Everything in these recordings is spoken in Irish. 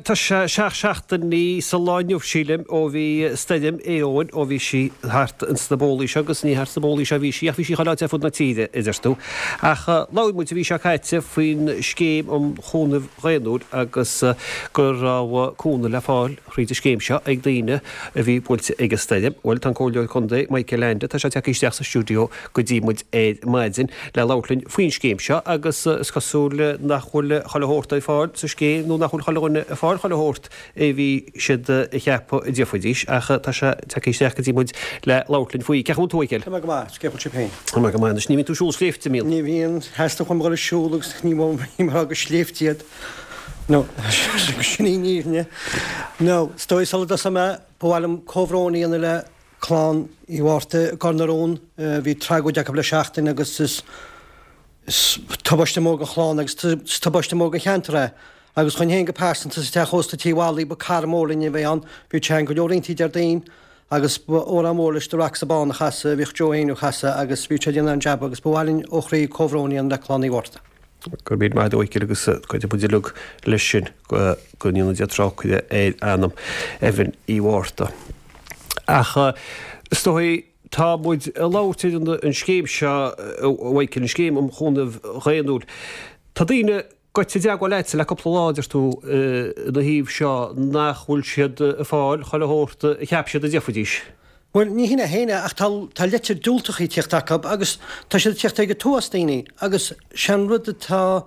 tá sé 7 seachtainí sa lá inniu, sílim, ó bhí stoirm Éowyn, ó bhí sí thart ins na bólaí seo, agus ní thart sna bólaí seo a bhí sí, ach bhí sí chuile áit ar fud na tíre, a deir tú. Ach labhair muid an mhí seo caite faoin scéim um chúnamh dhaonnúil agus go raibh cúnamh le fáil thríd an scéim seo ag daoine a bhí buailte ag an stoirm. Bhuel, tá an Comhairleoir Contae, Michael Leainde, tá sé tagtha isteach sa stiúideo go dtí muid ar maidin le labhairt linn faoin scéim seo agus is cosúil nach bhfuil chuile shórt ar fáil sa scéim nó nach bhfuil chuile dhuine ag fáil chuile shórt a bhí siad a cheapadh a d'fhéadfaidís ach tá sé tagtha isteach go dtí muid le labhairt linn faoi. Cén chaoi a bhfuil tú, a Mhichíl? Tá mé go maith, cén chaoi a bhfuil sibh féin? Tá mé go maith anois. Ní bhíonn tú ag siúl sléibhte, an mbíonn? Ní bhíonn. Theastaigh uaim a dhul ag siúl agus ní bhím ag rá gur sléibhte iad. No, sin í an fhírinne. No, is dóigh sula dtosóidh mé, ba mhaith liom comhbhrón a dhéanamh le clann Uí Mhárta i gCor na Rón. Bhí tragóid acu le seachtain agus is tubaiste mór don chlann agus is tubaiste mór don cheantar é. Agus dhúinn féin go pearsanta sa teach ósta Tigh Mholly, ba cara mór linn a bhí ann. Bhí sé ann go leor oícheantaí Déardaoin agus ba amhrán mór leis The Rocks Bán a chasadh, a bhíodh Joe Éinniú a chasadh agus bhí sé ag déanamh an-jab agus ba mhaith linn ó chroí comhbhrón a dhéanamh le clann Uí Mhárta. Go raibh míle maith agat a Mhichíl agus cuirfidh muid uilig leis sin go ndéana Dia trócaire ar anam Evan Uí Mhárta. Ach is dóigh tá muid ag labhairt ar an scéim seo a Mhichíl, an scéim um chúnamh dhaonnúil. Tá daoine gaibhte i dteagmháil leatsa le cúpla lá, deir tú, ina thaobh seo nach bhfuil siad ag fáil chuile shórt a cheap siad a d'fhéadfaidís. Bhuel, ní hin é féin é, ach tá, tá leitir diúltacha ag tíocht acu agus tá siad ag tíocht ag an t-uafás daoine agus sé an rud atá,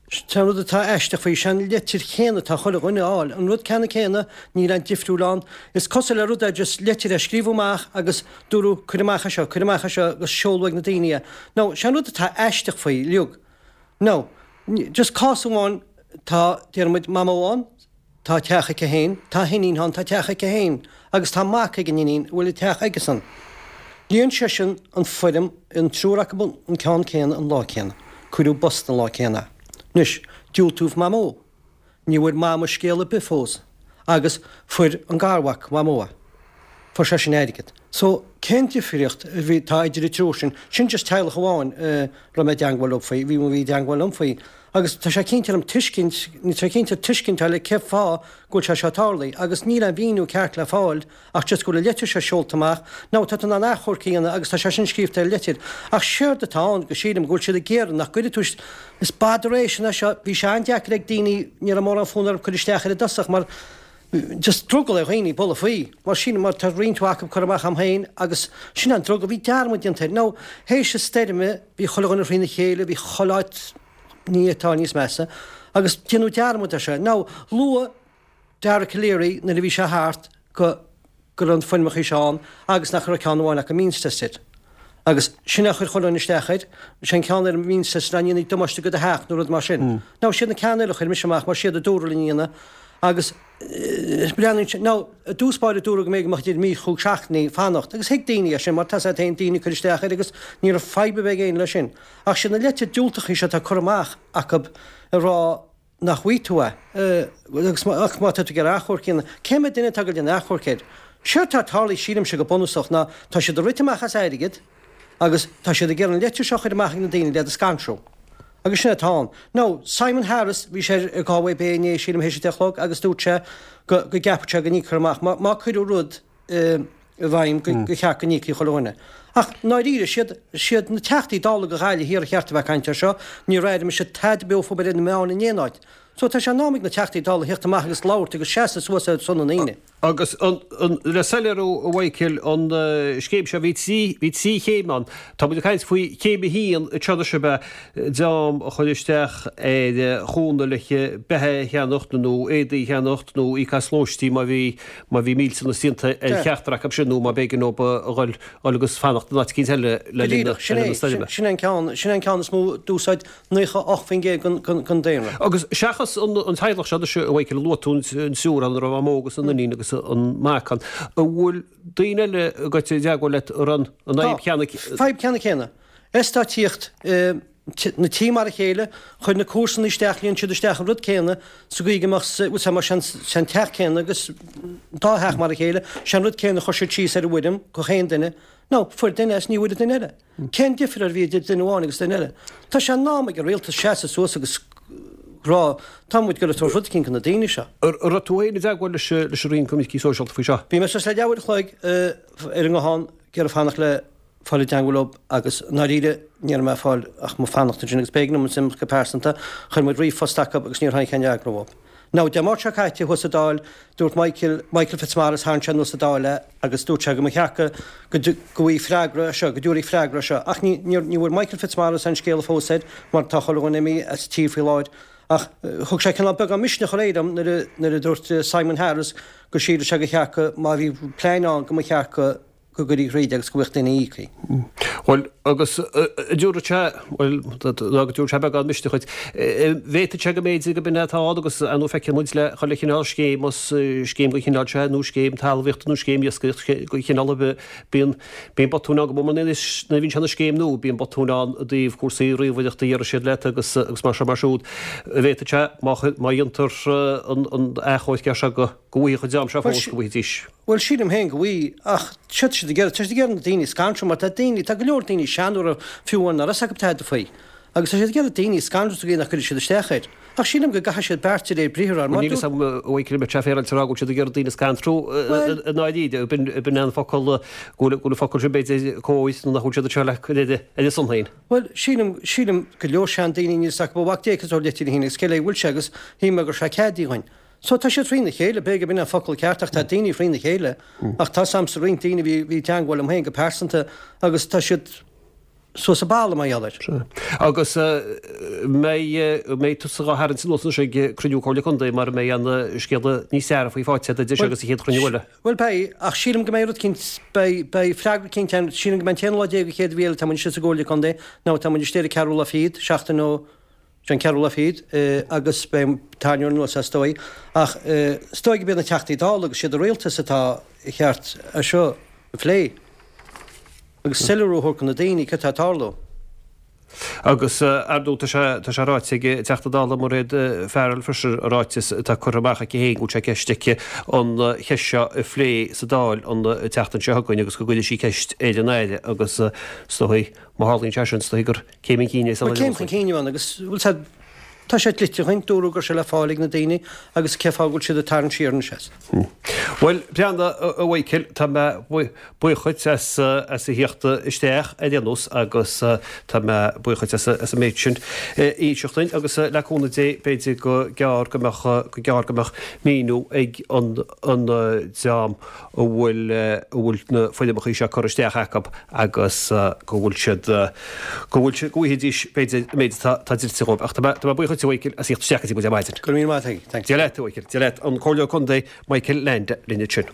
sé an rud atá aisteach faoi, sé an leitir chéanna atá chuile dhuine a fháil, an rud ceannann céanna, níl aon difriúil ann. Is cosúil le rud é just leitir a scríobhadh amach agus dúradh cuir amach é seo, cuir amach é seo agus seoladh ag na daoine é. Now, sé an rud atá aisteach faoi, uilig, now, just cás amháin, tá, déarfaidh muid, mamó ann, Tá teach aici féin, tá a hiníon ann, tá teach aici féin, agus tá mac ag an iníon a bhfuil an teach aigesan. Líon seisean an foirm, an triúr acu an ceann céanna an lá céanna. Cuireadh i bpost an lá céanna é. Anois, diúltaíodh Mamó. Ní bhfuair Mama scéal ar bith fós. Agus fuair an garmhac Mhamó é. Fuair seisean airgead. So, cén difríocht a bhí, atá idir an triúr sin? Sin just teaghlach amháin a raibh mé i dteangmháil leo faoi, bhí, bhí i dteangmháil liom faoi. Agus tá sé cinnte orm tuiscint, tá sé cinnte tuiscint a fháil ar cén fáth go bhfuil sé seo tarlaithe. Agus níl aon mhíniú ceart le fáil ach just go bhfuil an leitir seo seolta amach. Now, tá tú in ann achomharc a dhéanamh agus tá sé sin scríobhta ar an leitir. Ach séard atá ann, go sílim, go bhfuil siad ag iarraidh nach gcuirfidh tú, is botheration é seo, bhí sé an-deacair ag daoine, ní raibh mórán fonn orthu cur isteach air i dtosach mar, just drogall ar dhaoine bualadh faoi, mar sin, mar tá roinnt mhaith acu curtha amach a'm féin agus sin an drogall, bhí dearmad déanta air. Now, théis an stoirme, bhí chuile dhuine thrína chéile, bhí chuile áit ní atá níos measa, agus déanadh dearmad air seo. Now, luadh Dara Calleary nuair a bhí sé thart go go raibh na foirmeacha seo ann agus nach raibh ceann amháin acu means tested. Agus sin é a chuir chuile dhuine isteach air, sé an ceann ar means tested ná ní dhéanfaidh damáiste go do theach nó rud mar sin. Now, siad na ceanna eile a chuir mise amach mar siad a dúradh linn a dhéanamh agus breathnaíonn sé, now, i dtús báire dúradh go mb'fhéidir go mbeadh idir mí chúig seachtainí fanacht agus thuig daoine é sin mar tá 's agat féin daoine ag cur isteach air agus ní raibh fadhb ar bith ag éinne leis sin. Ach siad na leitir diúltacha seo atá curtha amach acu ag rá nach bhfaighidh tú é, agus ach má tá tú ag iarraidh achomharc a dhéanamh, cé mhéad duine atá ag dul déanamh achomhairc air? Séard atá tarlaithe, sílimse, go bunúsach, ná tá siad ag rith amach as airgead agus tá siad ag iarraidh an leitir seo a chur amach ag na daoine le iad a scanrú. Agus sin atá ann. Now, Simon Harris, bhí sé ar Galway Bay inné, sílim, théis a deich a chlog agus dúirt sé go go gceapfadh sé go n-íocfar amach má má cuireadh rud i bhfeidhm go cheart go n-íocfaí chuile dhuine. Ach ndáiríre, siad siad na Teachtaí Dála do Ghaillimh Thiar a cheart a bheith ag caint air seo, níor airigh mise tada beo fúthu ar na meáin in aon áit. So tá sé in am ag na Teachtaí Dála a theacht amach agus labhairt agus seasamh suas ar son na ndaoine. Agus an, an, le soiléiriú a Mhichíl, an scéim seo, bhí trí, bhí trí chéim ann. Tá muid ag caint faoi chéim a haon anseo anois ab ea dream a chuir isteach ar chúnamh le beatha a cheannacht nó éadaí a cheannacht nó íoc as lóistín má bhí má bhí millteanas déanta ar cheachtar acu sin nó má b'éigean dóibh a dhul agus fanacht in áit eicínt eile le linn na stoirme. Sin é an ceann, sin é an ceann is mó d'úsáid 98% den daonra. Agus seachas an teaghlach seo anois, a Mhichíl, a luaigh tú, an triúr ann, a raibh a mamó agus an iníon agus an mac ann, an bhfuil daoine eile a gaibhte i dteagmháil leat a raibh an fhadhb cheanna? Tá, fadhb ceanna céanna. Eastáit na tí mar a chéile, chuir na comharsana isteach, líon siad isteach an rud céanna sa gcaoi go mbeadh, bhfuil mar sé an teach céanna agus dá theach mar a chéile, sé an rud céanna a chuir siad síos ar an bhfoirm gach aon duine. Now, fuair duine as ní bhfuair duine eile. Cén difear a bhí idir duine amháin agus duine eile? Tá sé in am ag an rialtas seasamh suas agus. rá, tá muid ag goil ag tabhairt rud eicínt do na daoine seo. An raibh tú féin i dteagmháil leis an Roinn Coimircí Sóisialta faoi seo? Bhí mé suas le leathuair a chloig ar an nguthán ag iarraidh fanacht le fáil i dteangmháil leo agus i ndáiríre ní raibh mé ag fáil ach mo fanacht ansin agus b'éigean dom imeacht go pearsanta. Chuir muid ríomhphost acu agus níor tháinig aon fhreagra uathu. Now, Dé Máirt seo caite thuas sa Dáil, dúirt Michael, Michael Fitzmaurice, tharraing sé anuas sa Dáil é agus dúirt sé go mba cheart go, go, go bhfaighfí freagra ar seo, go dtabharfaí freagra ar seo. Ach ní, níor, ní bhfuair Michael Fitzmaurice aon scéala fós air mar tá chuile dhuine imithe as an tír faoi láthair. Ach thug sé cineál beagán misneach aréir dom nuair a, nuair a dúirt Simon Harris go síleadh sé gur cheart go, má bhí plean ann go mba cheart go, go gcuirfí thríd agus go bhfaigheadh daoine íoctha. Bhuel, agus an dtabharfadh sé, bhuel, ná go dtabharfadh sé beagán misnigh dhuit, bhféadfadh sé go mb'fhéidir go b'in é atá ann agus ar ndóigh feiceann muid le chuile chineál scéim, más scéim den chineál seo nó scéim talmhaíochta nó scéim iascaireachta de chineál ar bith, bíonn, bíonn botúin ann go mór mór nuair a bhíonn sé ina scéim nua, bíonn botúin ann i dtaobh cúrsaí ríomhaireachta a déarfaidh siad leat agus, agus mar seo mar siúd. Bhféadfadh sé, má, má dhéantar an, an achomharc air seo go, go bhfaighidh an dream seo fós, go bhfaighidís. Bhuel, sílim féin go bhfaighidh, ach séard tá siad ag iarraidh, tá siad ag iarraidh na daoine a scanrú mar tá daoine, tá go leor daoine seanóra fiú amháin nach raibh fhios acu tada faoi. Agus tá siad ag iarraidh daoine a scanrú sa gcaoi nach gcuirfidh siad isteach air. Ach sílim go gcaithfidh siad beart de réir briathair ar mar Níl fhios agam a Mhichael an mbeadh sé féaráilte a rá go bhfuil siad ag iarraidh daoine a scanrú i ndáiríre, b'in an focal, go bhfuil an focal sin b'fhéidir cóir nó nach bhfuil siad anseo le cur ar a son féin. Bhuel, sílim, sílim go leor seandaoine níl fhios acu ó mhac Dé cad é an litir féin agus cé léi a bhfuil sé agus shíl mé go raibh sé ceadaithe dhuinn. So tá siad thrína chéile, b'fhéidir gurb in an focal ceart ach tá daoine thrína chéile. Ach tá 's a'msa roinnt daoine a bhí, bhí i dteangmháil liom féin go pearsanta agus tá siad suas an balla mar gheall air. Sea. Agus mbeidh, mbeidh tusa dhá tharraingt anuas anois ag cruinniú Comhairle Contae mar a mbeidh an scéala níos dearfaí faighte agat idir seo agus an chéad chruinniú eile? Bhuel beidh, ach sílim go mbeidh rud eicínt, beidh, beidh freagra eicínt ann, sílim go mbeidh an t-aon lá déag an chéad mhí eile tá muid istigh sa gComhairle Contae, nó tá muid istigh ar an ceathrú lá fichead, seachtain ó, Sé an ceathrú lá fichead agus beidh an tarraingt anuas is dóigh. Ach is dóigh gurb iad na Teachtaí Dála agus siad an Rialtas atá cheart é seo a phlé agus soiléiriú a thabhairt do na daoine cad tá ag tarlú. Agus ar ndóigh tá sé tá sé ráite ag an Teachta Dála Mairéad Farrell freisin i ráiteas atá curtha amach aici féin go bhfuil sé i gceist aici an cheist seo a phlé sa Dáil an tseachtain seo chugainn agus go gcuirfidh sí ceist ar an Aire agus is dóigh má tharlaíonn sé sin is dóigh gur Céim chun cinn é san Bhuel, céim chun cinn ann agus, bhuel, tá, tá sé dlite dhuinn, dúradh go raibh sé le fáil ag na daoine agus cé fáth go bhfuil siad ag tarraingt siar anois as? Bhuel, breathnaigh, a Mhichael, tá mé buíoch dhuit as, as a theacht isteach ar aon nós agus tá mé buíoch dhuit as, as an méid sin a inseacht duinn agus le cúnamh Dé b'fhéidir go gearr go mbeadh, go gearr go mbeadh míniú ag an, an dream a bhfuil a bhfuil na foirmeacha seo curtha isteach acu agus go bhfuil siad go bhfuil siad go bhfaighidís b'fhéidir an méid atá atá dlite dhóibh. Ach tá mé tá mé buíoch dhuit a Mhichael as theacht isteach go dtí muid ar maidin. Go raibh míle maith agat. Thanks. Dia leat a Mhichael. Dia leat. An Comhairleoir Contae Michael Leainde linn ansin.